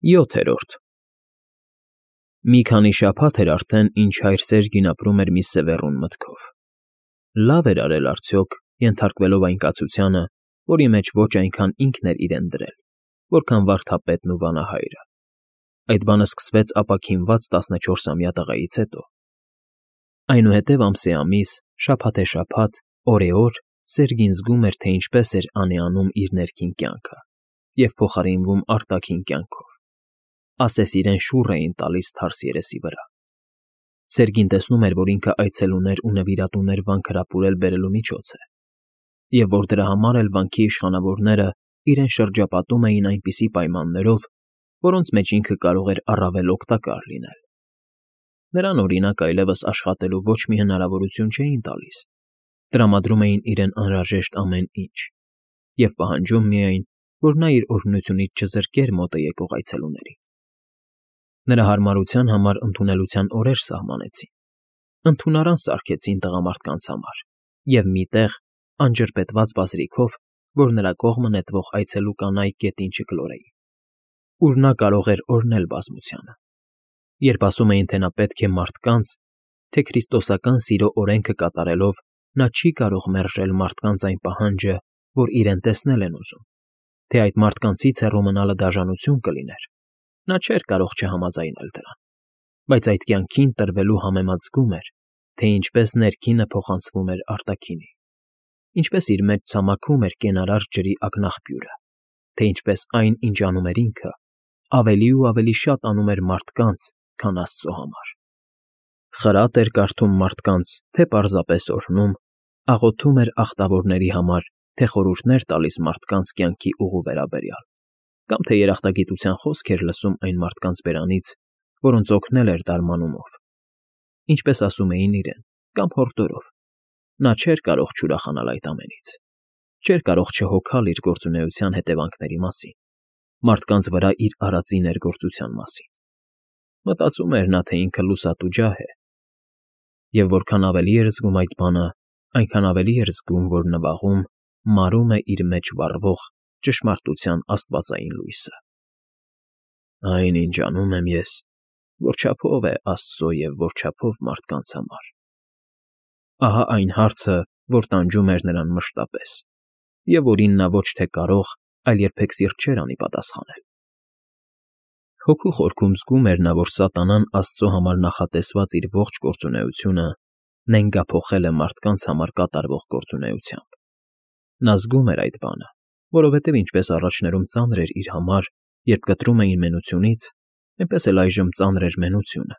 7-րդ Մի քանի շաբաթ էր արդեն, ինչ հայր Սերգին ապրում էր մի սևեռուն մտքով. լավ էր արել արդյոք, ենթարկվելով այն կացությանը, որի մեջ ոչ այնքան ինքն էր իրեն դրել, որքան վարդապետն ու վանահայրը. այդ բանը սկսվեց ապաքինված 14-ամյա տղայից հետո. այնուհետև ամսեամիս, շաբաթեշաբաթ, օրեօր Սերգին զգում էր, թե ինչպես էր անեանում իր ներքին կյանքը և փոխարինվում արտաքին կյանքով, ասես իրեն շուռ էին տալիս թարս երեսի վրա. Սերգին տեսնում էր, որ ինքը այցելուներ ու նվիրատուներ վանք հրապուրել բերելու միջոց է, և որ դրա համար էլ վանքի իշխանավորները իրեն շրջապատում էին այնպիսի պայմաններով, որոնց մեջ ինքը կարող էր առավել օգտակար լինել. նրան, օրինակ, այլևս աշխատելու ոչ մի հնարավորություն չէին տալիս, տրամադրում էին իրեն անհրաժեշտ ամեն ինչ և պահանջում միայն, որ նա իր օրհնությունից չզրկեր մոտը եկող այցելուներին. Նրա հարմարության համար ընդունելության օրեր սահմանեցին, ընդունարան սարքեցին տղամարդկանց համար և մի տեղ, անջրպետված բազրիքով, որ նրա կողմը նետվող այցելու կանայք գետին չկլորեին, ուր նա կարող էր օրհնել բազմությանը. երբ ասում էին, թե նա պետք է մարդկանց, թե քրիստոսական սիրո օրենքը կատարելով նա չի կարող մերժել մարդկանց այն պահանջը, որ իրեն տեսնել են ուզում, թե այդ մարդկանցից հեռու մնալը դաժանություն կլիներ, նա չէր կարող չհամաձայնել դրան, բայց այդ կյանքին տրվելու համեմատ զգում էր, թե ինչպես ներքինը փոխանցվում էր արտաքինի, ինչպես իր մեջ ցամաքում էր կենարար ջրի ակնաղբյուրը, թե ինչպես այն, ինչ անում էր ինքը, ավելի ու ավելի շատ անում էր մարդկանց, քան Աստծո համար. խրատ էր կարդում մարդկանց, թե պարզապես օրհնում, աղոթում էր ախտավորների համար, թե խորհուրդներ տալիս մարդկանց կյանքի ուղու վերաբերյալ, կամ թե երախտագիտության խոսք էր լսում այն մարդկանց բերանից, որոնց օգնել էր դարմանումով, ինչպես ասում էին իրեն, կամ հորդորով, նա չէր կարող չուրախանալ այդ ամենից, չէր կարող չհոգալ իր գործունեության հետևանքների մասին, մարդկանց վրա իր արածի ներգործության մասին. մտածում էր նա, թե ինքը լուսատու ջահ է, և որքան ավելի էր զգում այդ բանը, այնքան ավելի էր զգում, որ նվաղում մարում է իր մեջ վառվող ճշմարտության աստվածային լույսը. Այն, ինչ անում եմ ես, որչափով է Աստծո և որչափով մարդկանց համար. ահա այն հարցը, որ տանջում էր նրան մշտապես, և որին նա ոչ թե կարող, այլ երբեք սիրտ չէր անի պատասխանել. Հոգու խորքում զգում էր նա, որ սատանան Աստծո համար նախատեսված իր ողջ գործունեությունը նենգափոխել է մարդկանց համար կատարվող գործունեությամբ. նա զգում էր այդ բանը, որովհետև ինչպես առաջներում ծանր էր իր համար, երբ կտրում էին մենությունից, այնպես էլ այժմ ծանր էր մենությունը,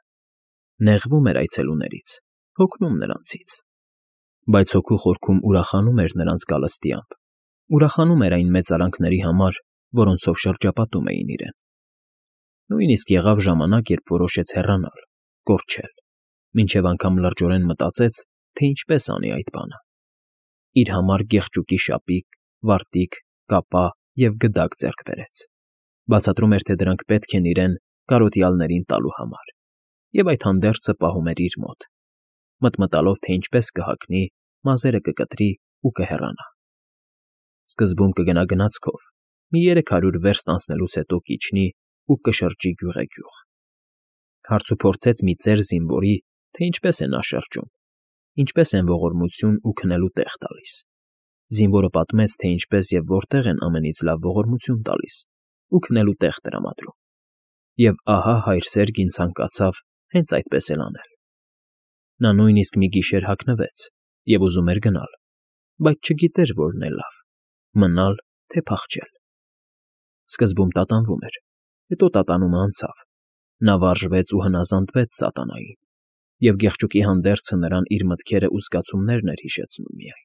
նեղվում էր այցելուներից, հոգնում նրանցից, բայց հոգու խորքում ուրախանում էր նրանց գալստյամբ, ուրախանում էր այն մեծարանքների համար, որոնցով շրջապատում էին իրեն. Նույնիսկ եղավ ժամանակ, երբ որոշեց հեռանալ, կորչել, մինչև անգամ լրջորեն մտածեց, թե ինչպես անի այդ բանը. իր համար գեղջուկի շապիկ, վարտիք, կապա և գդակ ձեռք բերեց, բացատրում էր, թե դրանք պետք են իրեն կարոտյալներին տալու համար, և այդ հանդերձը պահում էր իր մոտ, մտմտալով, թե ինչպես կհագնի, մազերը կկտրի ու կհեռանա. սկզբում կգնա գնացքով, մի 300 վերստ անցնելուց հետո կիջնի ու կշրջի գյուղեգյուղ. հարցուփորձեց մի ծեր զինվորի, թե ինչպես է նա շրջում, ինչպես են ողորմություն ու քնելու տեղ տալիս. զինվորը պատմեց, թե ինչպես և որտեղ են ամենից լավ ողորմություն տալիս ու քնելու տեղ տրամադրում, և ահա հայր Սերգին ցանկացավ հենց այդպես էլ անել. նա նույնիսկ մի գիշեր հագնվեց և ուզում էր գնալ, բայց չգիտեր որն է լավ՝ մնալ, թե փախչել. սկզբում տատանվում էր, հետո տատանումը անցավ, նա վարժվեց ու հնազանդվեց սատանային, և գեղջուկի հանդերձը նրան իր մտքերը ու զգացումներն էր հիշեցնում միայն.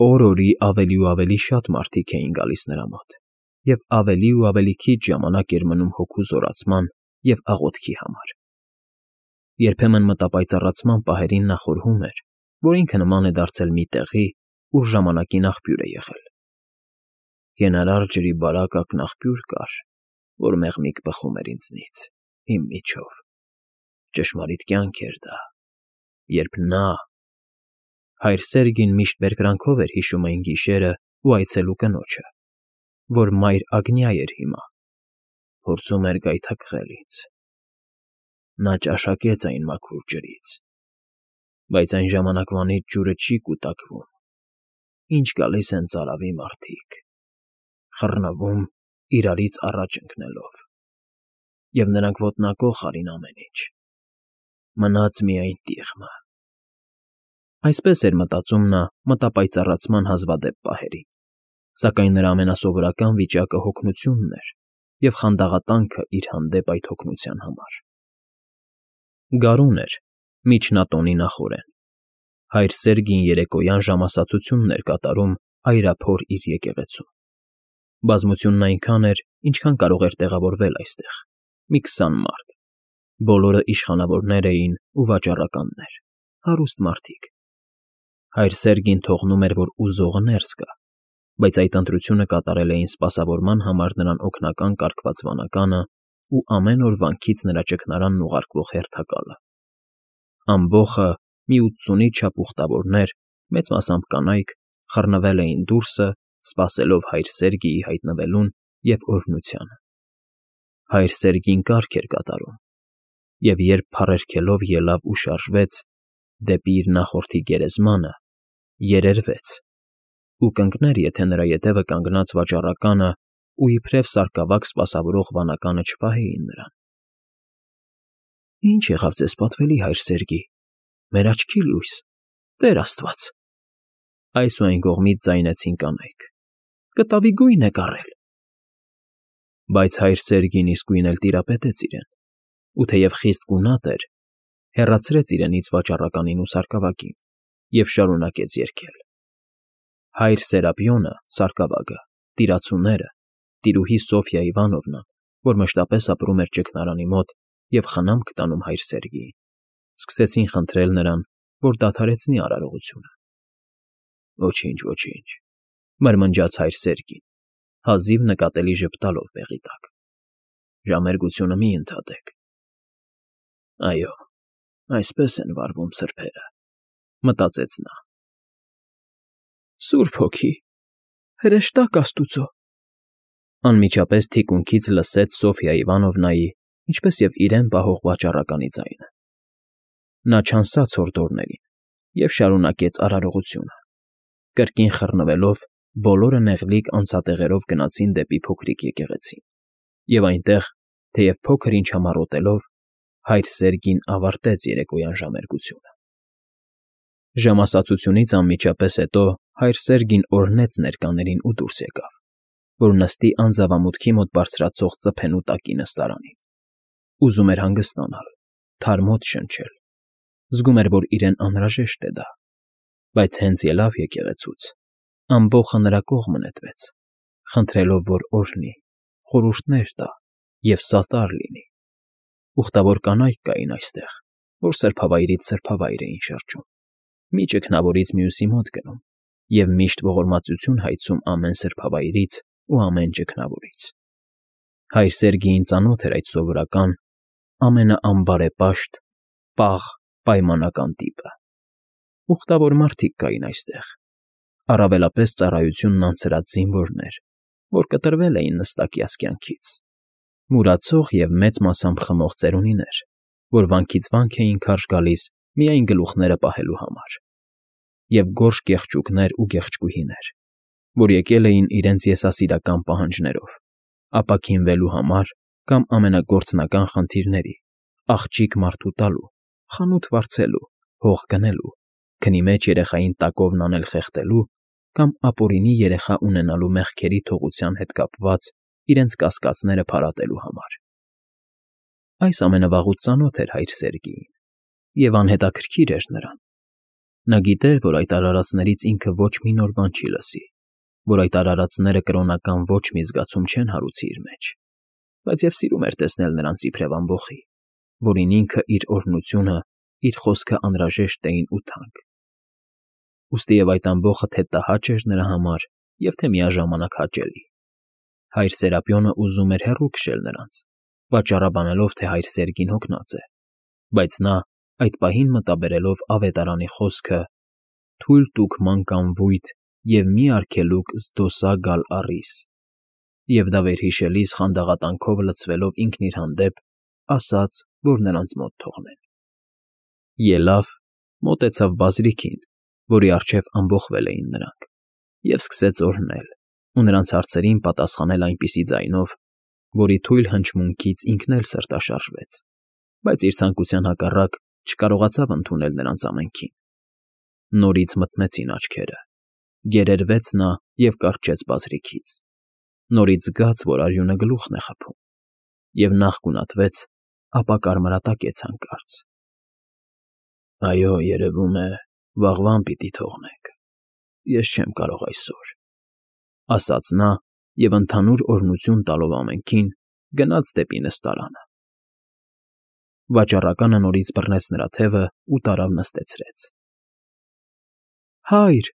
օր֊օրի ավելի ու ավելի շատ մարդիկ էին գալիս նրա մոտ, և ավելի ու ավելի քիչ ժամանակ էր մնում հոգու զորացման և աղոթքի համար. երբեմն մտապայծառացման պահերին նա խորհում էր, որ ինքը նման է դարձել մի տեղի, ուր ժամանակին աղբյուր է եղել. կենարար ջրի բարակ ակնաղբյուր կար, որ մեղմիկ բխում էր ինձնից, իմ միջով, ճշմարիտ կյանք էր դա, երբ նա… Հայր Սերգին միշտ բերկրանքով էր հիշում այն գիշերն ու այցելու կնոջը, որ մայր Ագնյա էր հիմա, փորձում էր գայթակղել ինձ։ Նա ճաշակեց այն մաքուր ջրից, բայց այն ժամանակվանից ջուրը չի կուտակվում, ինչ գալիս են ծարավի մարդիկ, խռնվում իրարից առաջ ընկնելով, և նրանք ոտնակոխ արին ամեն ինչ, մնաց միայն տիղմը։ Այսպես էր մտածում նա մտապայծառացման հազվադեպ պահերին, սակայն նրա ամենասովորական վիճակը հոգնությունն էր և խանդաղատանքը իր հանդեպ այդ հոգնության համար։ Գարուն էր, միջնատոնի նախօրեն։ Հայր Սերգին երեկոյան ժամասացությունն էր կատարում այրափոր իր եկեղեցում։ Բազմությունն այնքան էր, ինչքան կարող էր տեղավորվել այստեղ, մի 20 մարդ։ Բոլորը իշխանավորներ էին ու վաճառականներ, հարուստ մարդիկ։ Հայր Սերգին թողնում էր, որ ուզողը ներս գա, բայց այդ ընտրությունը կատարել էին սպասավորման համար նրան օգնական կարգված վանականը ու ամեն օր վանքից նրա ճգնարանն ուղարկվող հերթակալը։ Ամբոխը մի 80-ի չափ ուխտավորներ, մեծ մասամբ կանայք, խռնվել էին դուրսը, սպասելով հայր Սերգիի հայտնվելուն և օրհնությանը։ Հայր Սերգին կարգ էր կատարում, և երբ փառերգելով ելավ ու շարժվեց դեպի իր նախորդի գերեզմանը, երերվեց ու կընկներ, եթե նրա ետևը կանգնած վաճառականը ու իբրև սարկավակ սպասավորող վանականը չպահեին նրան։ Ինչ եղավ ձեզ պատվելի, հայր Սերգի, մեր աչքի լույս, Տեր Աստված, այս ու այն կողմից ձայնեցին կանայք, կտավի գույն եք առել։ Բայց հայր Սերգին իսկույն էլ տիրապետեց իրեն, ու թեև խիստ գունատ էր, հեռացրեց իրենից վաճառականին ու սարկավագին և շարունակեց երգել։ Հայր Սերապիոնը, սարկավագը, տիրացուները, տիրուհի Սոֆյա Իվանովնան, որ մշտապես ապրում էր ճգնարանի մոտ և խնամք տանում հայր Սերգիին, սկսեցին խնդրել նրան, որ դադարեցնի արարողությունը։ Ոչինչ, ոչինչ, մրմնջաց հայր Սերգին, հազիվ նկատելի ժպտալով բեղի տակ։ Ժամերգությունը մի ընդհատեք։ Այո, այսպես են վարվում սրբերը, մտածեց նա։ Սուրբ Հոգի, հրեշտակ Աստուծո, անմիջապես թիկունքից լսեց Սոֆյա Իվանովնայի, ինչպես և իրեն պահող վաճառականի ձայնը։ Նա չանցած հորդորներին և շարունակեց արարողությունը։ Կրկին խռնվելով, բոլորը նեղլիկ անցատեղերով գնացին դեպի փոքրիկ եկեղեցին, և այնտեղ, թեև փոքր ինչ համառոտելով, հայր Սերգին ավարտեց երեկոյան ժամերգությունը։ Ժամասացությունից անմիջապես հետո հայր Սերգին օրհնեց ներկաներին ու դուրս եկավ, որ նստի անձավամուտքի մոտ բարձրացող ծփենու տակի նստարանին։ Ուզում էր հանգստանալ, թարմոտ շնչել, զգում էր, որ իրեն անհրաժեշտ է դա, բայց հենց ելավ եկեղեցուց, ամբոխը նրա կողմը նետվեց, խնդրելով, որ օրհնի, խորհուրդներ տա և սատար լինի։ Ուխտավոր կանայք կային այստեղ, որ սրբավայրից սրբավայր էին շրջում, մի ճգնավորից մյուսի մոտ գնում և միշտ ողորմածություն հայցում ամեն սրբավայրից ու ամեն ճգնավորից։ Հայր Սերգիին ծանոթ էր այդ սովորական, ամենաանբարեպաշտ, պաղ, պայմանական տիպը։ Ուխտավոր մարդիկ կային այստեղ, առավելապես ծառայությունն անցրած զինվորներ, որ կտրվել էին նստակյաց կյանքից, մուրացող և մեծ մասամբ խմող ծերունիներ, որ վանքից վանք էին քարշ գալիս միայն գլուխները պահելու համար, և գորշ կեղճուկներ ու գեղեցկուհիներ, որ եկել էին իրենց եսասիրական պահանջներով, ապաքինվելու համար կամ ամենագործնական խնդիրների, աղջիկ մարդու տալու, խանութ վարձելու, հող գնելու, քնի մեջ երեխային տակովն անել խեղդելու կամ ապօրինի երեխա ունենալու մեղքերի թողության հետ կապված իրենց կասկածները փարատելու համար։ Այս ամենավաղուց ծանոթ էր հայր Սերգիին և անհետաքրքիր էր նրան։ Նա գիտեր, որ այդ արարածներից ինքը ոչ մի նոր բան չի լսի, որ այդ արարածները կրոնական ոչ մի զգացում չեն հարուցի իր մեջ, բայց և սիրում էր տեսնել նրանց իբրև ամբոխի, որին ինքը իր օրհնությունը, իր խոսքը անհրաժեշտ էին ու թանկ։ Ուստի և այդ ամբոխը թե տհաճ էր նրա համար և թե միաժամանակ հաճելի։ Հայր Սերապիոնը ուզում էր հեռու քշել նրանց, պատճառաբանելով, թե հայր Սերգին հոգնած է, բայց նա, այդ պահին մտաբերելով ավետարանի խոսքը. «Թույլ տուք ման կամ վույթ և մի արգելուկ զդոսա գալ առիս», Եվ դա վերհիշելիս խանդաղատանքով լցվելով ինքն իր հանդեպ, ասաց, որ նրանց մոտ թողնեն։ Ելավ, մոտեցավ բազրիքին, որի առջև ամբոխվել էին նրանք, և սկսեց օրհնել ու նրանց հարցերին պատասխանել այնպիսի ձայնով, որի թույլ հնչմունքից ինքն էլ սրտաշարժվեց, բայց իր ցանկության հակառակ չկարողացավ ընդունել նրանց ամենքին։ Նորից մթնեցին աչքերը, գերերվեց նա և կառչեց բազրիքից, նորից զգաց, որ արյունը գլուխն է խփում, և նախ գունատվեց, ապա կարմրատակեց հանկարծ։ Այո, երևում է, վաղվան պիտի թողնենք, ես չեմ կարող այսօր, ասաց նա և ընդհանուր օրհնություն տալով ամենքին, գնաց դեպի նստարանը։ Վաճառականը նորից բռնեց նրա թևը ու տարավ նստեցրեց։ Հայր,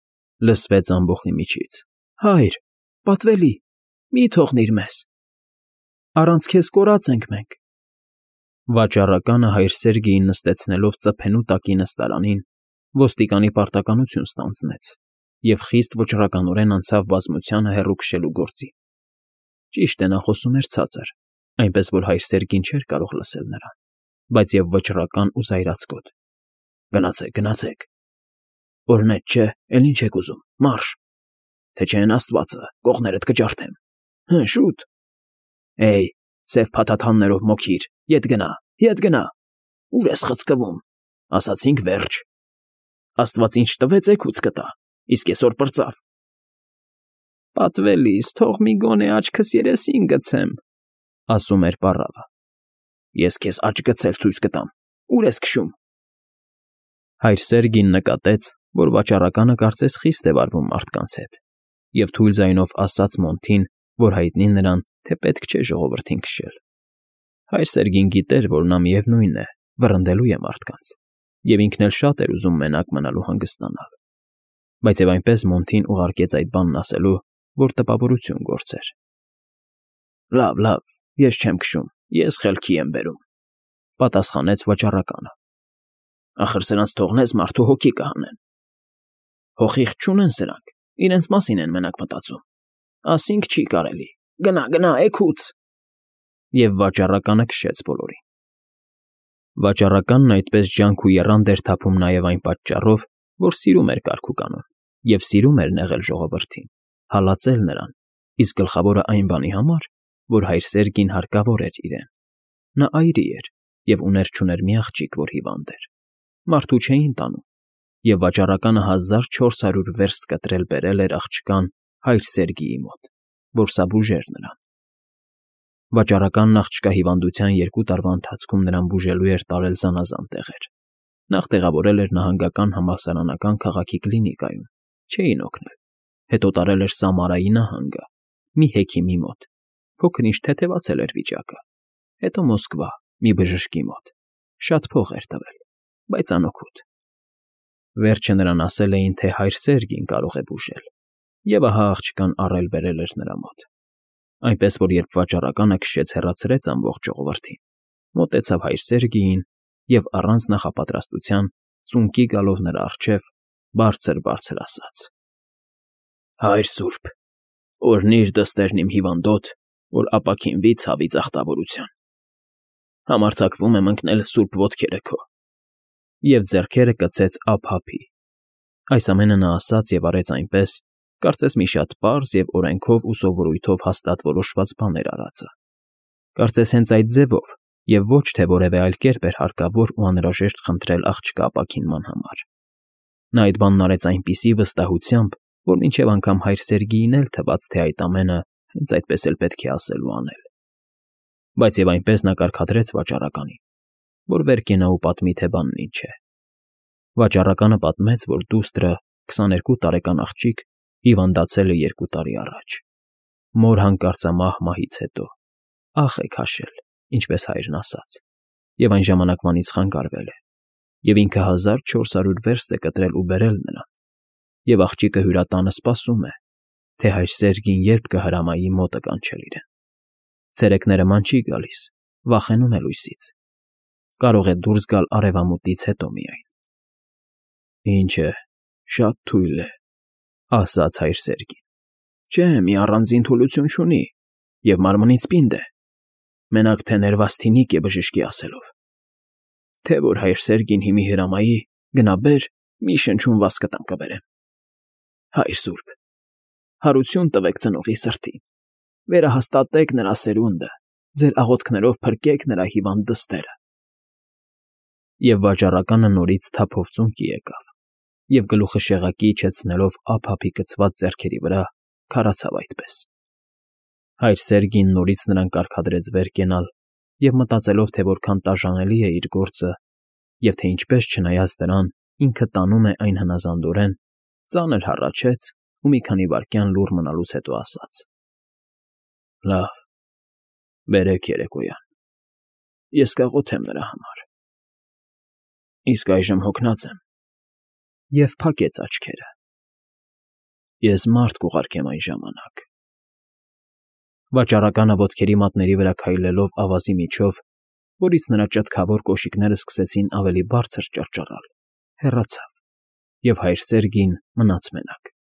լսվեց ամբոխի միջից, հայր, պատվելի, մի թողնիր մեզ, առանց քեզ կորած ենք մենք։ Վաճառականը հայր Սերգեյին նստեցնելով ծփենու տակի նստարանին, ոստիկանի պարտականություն ստանձնեց և խիստ վճռականորեն անցավ բազմությանը հեռու քշելու գործին։ Ճիշտ է, նա խոսում էր ցածր, այնպես որ հայր Սերգին չէր կարող լսել նրան, բայց և վճռական ու զայրացկոտ։ Գնացեք, գնացեք։ Օրհնեց, չէ, էլ ինչ եք ուզում, մարշ, թե չէ են Աստվածը, կողներդ կջարդեմ։ Շուտ։ Էյ, սև փաթաթաններով մոգիր, ետ գնա, ուր ես խցկվում, ասացինք վերջ։ Աստված ինչ տվեց էգուց կտա, իսկ այսօր պրծավ։ Պատվելիս, թող մի գոնե աչքս երեսին գցեմ, ասում էր պառավը։ Ես քեզ աչք գցել ցույց կտամ, ուր ես քշում։ Հայր Սերգին նկատեց, որ վաճառականը կարծես խիստ է վարվում մարդկանց հետ, և թույլ ձայնով ասաց Մոնթին, որ հայտնի նրան, թե պետք չէ ժողովրդին քշել։ Հայր Սերգին գիտեր, որ նա միևնույն է, վռնդելու է մարդկանց, և ինքն էլ շատ էր ուզում մենակ մնալու հանգստանալ։ Բայց և այնպես Մոնթին ուղարկեց այդ բանն ասելու, որ տպավորություն գործեր։ Լավ, ես չեմ քշում, ես խելքի եմ բերում, պատասխանեց վաճառականը։ Ախր սրանց թողնես մարդու հոգի կհանեն։ Հոխիղ չունեն սրանք, իրենց մասին են մենակ մտածում։ Ասինք չի կարելի, գնա, էգուց։ Եվ վաճառականը քշեց բոլորին։ Վաճառականն այդպես ջանք ու եռանդ էր թափում նաև այն պատճառով, որ սիրում էր կարգուկանոն և սիրում էր նեղել ժողովրդին, հալածել նրան, իսկ գլխավորը այն բանի համար, որ հայր Սերգին հարկավոր էր իրեն։ Նա այրի էր և ուներ-չուներ մի աղջիկ, որ հիվանդ էր։ Մարդու չէին տանում, և վաճառականը 1400 վերստ կտրել բերել էր աղջկան հայր Սերգիի մոտ, որ սա բուժեր նրան։ Վաճառականն աղջկա հիվանդության 2 տարվա ընթացքում նրան բուժելու էր տարել զանազան տեղեր։ Նախ տեղավորել էր նահանգական համալսարանական քաղաքի կլինիկայում, չէին օգնել։ Հետո տարել էր Սամարայի նահանգը, մի հեքիմի մոտ, փոքր-ինչ թեթևացել էր վիճակը։ Հետո Մոսկվա, մի բժշկի մոտ, շատ փող էր տվել, բայց անօգուտ։ Վերջը նրան ասել էին, թե հայր Սերգին կարող է բուժել, և ահա աղջկան առել֊բերել էր նրա մոտ։ Այնպես որ երբ վաճառականը քշեց հեռացրեց ամբողջ ժողովրդին, մոտեցավ հայր Սերգիին և առանց նախապատրաստության ծունկի գալով նրա առջև բարձր ասաց. Հայր սուրբ, օրհնիր դստերն իմ հիվանդոտ, որ ապաքինվի ցավի ծախտավորության։ Համարձակվում եմ ընկնել սուրբ ոտքերը քո։ Եվ ձեռքերը կցեց ափ-ափի։ Այս ամենը նա ասաց և արեց այնպես, կարծես մի շատ պարզ և օրենքով ու սովորույթով հաստատ որոշված բան էր արածը։ Կարծես հենց այդ ձևով և ոչ թե որևէ այլ կերպ էր հարկավոր ու անհրաժեշտ խնդրել աղջկա ապաքինման համար։ Նա այդ բանն արեց այնպիսի վստահությամբ, որ մինչև անգամ հայր Սերգիին էլ թվաց, թե այդ ամենը հենց այդպես էլ պետք է ասել ու անել։ Բայց և այնպես նա կարգադրեց վաճառականին, որ վեր կենա ու պատմի, թե բանն ինչ է։ Վաճառականը պատմեց, որ դուստրը 22 տարեկան աղջիկ հիվանդացել է 2 տարի առաջ։ Մոր հանկարծամահ մահից հետո ախ է քաշել, ինչպես հայրն ասաց, և այն ժամանակվանից խանգարվել է, և ինքը 1400 վերստ է կտրել ու բերել նրան, և աղջիկը հյուրատանը սպասում է, թե հայր Սերգին երբ կհրամայի մոտը կանչել իրեն։ Ցերեկները ման չի գալիս, վախենում է լույսից։ Կարող է դուրս գալ արևամուտից հետո միայն։ Ինչ է, շատ թույլ է, ասաց հայր Սերգին։ Չէ, մի առանձին թուլություն չունի, և մարմնից պինդ է, մենակ թե ներված թինիկ է բժշկի ասելով, թե որ հայր Սերգին հիմի հրամայի, գնա բեր, մի շնչուն վասկտամ կբերեմ։ Հայր սուրբ, հարություն տվեք ծնողի սրտին, վերահաստատեք նրա սերունդը, ձեր աղոթքներով փրկեք նրա հիվանդ դստերը։ Եվ վաճառականը նորից թափով ծունկի եկավ և գլուխը շեղակի իջեցնելով ափափի կցված ձեռքերի վրա, քարացավ այդպես։ Հայր Սերգին նորից նրան կարգադրեց վեր կենալ և մտածելով, թե որքան տաժանելի է իր գործը և թե ինչպես, չնայած դրան, ինքը տանում է այն հնազանդորեն, ծանր հառաչեց ու մի քանի վայրկյան լուռ մնալուց հետո ասաց. «Լավ, բերեք երեկոյան, ես կաղոթեմ նրա համար։ Իսկ այժմ հոգնած եմ»։ Եվ փակեց աչքերը։ «Ես մարդ կուղարկեմ այն ժամանակ»։ Վաճառականը ոտքերի մատների վրա քայլելով ավազի միջով, որից նրա ճտկավոր կոշիկներն սկսեցին ավելի բարձր ճռճռալ, հեռացավ, և հայր Սերգին մնաց մենակ։